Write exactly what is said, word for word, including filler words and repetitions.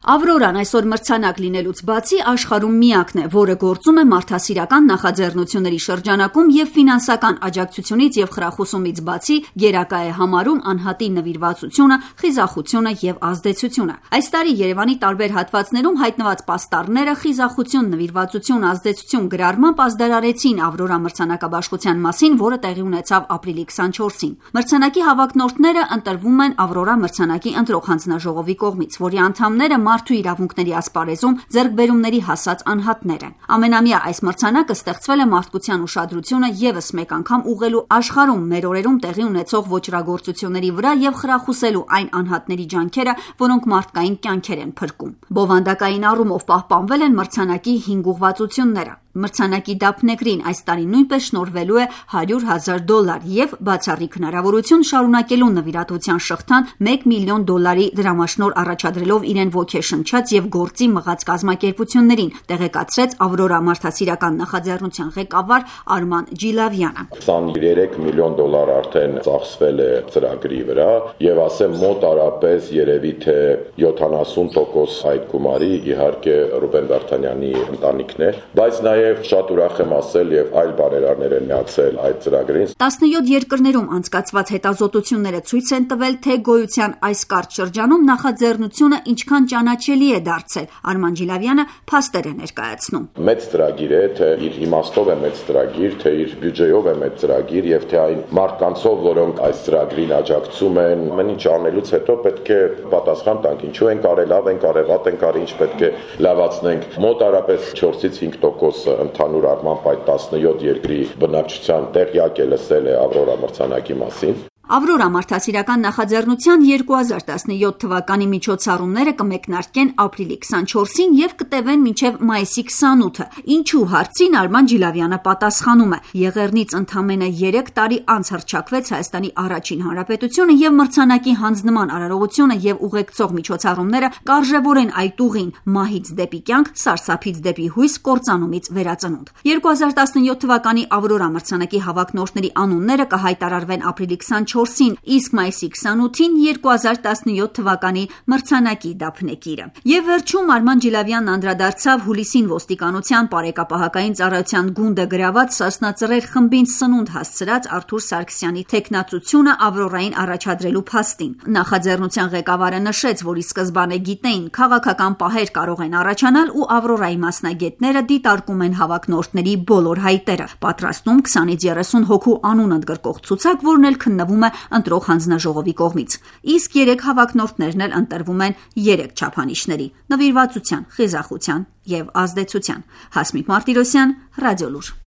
Ավրորան այսօր մրցանակ լինելուց բացի աշխարհում միակն է, որը գործում է մարդասիրական նախաձեռնությունների շրջանակում և ֆինանսական աջակցությունից և խրախուսումից բացի գերակա է համարում անհատի նվիրվածությունը, խիզախությունը և ազդեցությունը։ Այս տարի Երևանի տարբեր հատվածներում հայտնված պաստառները խիզախություն, նվիրվածություն, ազդեցություն գրառմամբ ազդարարեցին Ավրորա մրցանակաբաշխության մասին, որը տեղի ունեցավ ապրիլի քսանչորսին։ Մրցանակի հավակնորդները ընտրվում են Ավրորա մրցանակի ընտրող հանձնաժողովի կողմից, որի անդամները մարդու իրավունքների ասպարեզում ձեռքբերումների հասած անհատներ են։ Ամենամյա այս մրցանակը ստեղծվել է մարդկության ուշադրությունը ևս մեկ անգամ ուղղելու աշխարհում մեր օրերում տեղի ունեցող ոճրագործությունների վրա և խրախուսելու այն անհատների ջանքերը, որոնք մարդկային կյանքեր են փրկում։ Բովանդակային առումով պահպանվել են մրցանակի հինգ ուղղվածությունները։ Մրցանակի դափնեկրին այս տարի նույնպես շնորհվելու է հարյուր հազար դոլար և բացառիկ հնարավորություն շարունակելու նվիրատվության շղթան մեկ միլիոն դոլարի դրամաշնորհ առաջադրելով իրեն ոգեշնչած և գործի մղած կազմակերպություններին, տեղեկացրեց Ավրորա մարդասիրական նախաձեռնության ղեկավար Արման Ջիլավյանը։ քսաներեք միլիոն դոլար արդեն ծախսվել է ծրագրի վրա և ասեմ մոտարապես երևի թե յոթանասուն տոկոս այդ գումարի իհարկե Ռուբեն Վարդանյանի ընտանիքն է, բայց նաև շատ ուրախ եմ ասել և այլ բարերարներ են միացել այդ ծրագրին։ տասնյոթ երկրներում անցկացված հետազոտությունները ցույց են տվել, թե գոյության այս կարճ շրջանում նախաձեռնությունը ինչքան ճանաչելի է դարձել։ Արման Ջիլավյանը փաստեր է ներկայացնում։ Մեծ ծրագիր է, թե իր իմաստով է մեծ ծրագիր, թե իր բյուջեով է մեծ ծրագիր և թե այն մարդկանցով, որոնք այս ծրագրին աջակցում են, ամեն ինչ անելուց հետո պետք է պատասխան տանք, ինչու ենք արել, լավ ենք արել, վատ ենք արել, ինչ պետք է լավացնենք։ Մոտարապես չորսից հինգ տոկոս ընդհանուր առմամբ այդ տասնյոթ երկրի բնակչության տեղյակ է լսել է Ավրորա մրցանակի մասին։ Ավրորա մարդասիրական նախաձեռնության երկու հազար տասնյոթ թվականի միջոցառումները կմեկնարկեն ապրիլի քսանչորսին և կտևեն մինչև մայիսի քսանութը։ Ինչու հարցին Արման Ջիլավյանը պատասխանում է. Եղեռնից ընդամենը երեք տարի անց հռչակվեց Հայաստանի առաջին հանրապետությունը և մրցանակի հանձնման արարողությունը և ուղեկցող միջոցառումները կարժևորեն այդ ուղին՝ մահից դեպի կյանք, սարսափից դեպի հույս, կործանումից վերածնունդ։ երկու հազար տասնյոթ թվականի Ավրորա մրցանակի հավակնորդների անունները կհայտարարվեն ապրիլի քսանչորսին, իսկ մայիսի քսանութին երկու հազար տասնյոթ թվականի մրցանակի դափնեկիրը։ Եվ վերջում Արման Ջիլավյանն անդրադարձավ հուլիսին ոստիկանության Պարեկապահակային ծառայության գունդը գրաված Սասնա Ծռեր խմբին սնունդ հասցրած Արթուր Սարգսյանի թեկնածությունը Ավրորային առաջադրելու փաստին։ Նախաձեռնության ղեկավարը նշեց, որ ի սկզբանե գիտեին քաղաքական պահեր կարող են առաջանալ ու Ավրորայի մասնագետները դիտարկում են հավակնորդների բոլոր հայտերը, պատրաստում քսանից երեսուն հոգու անուն ընդգրկող ցուցակ, որն էլ քննվում է ընտրող հանձնաժողովի կողմից։ Իսկ երեք հավակնորդներն էլ ընտրվում են երեք չափանիշների՝ նվիրվածության, խիզախության և ազդեցության։ Հասմիկ Մարտիրոսյան, Ռադիոլուր։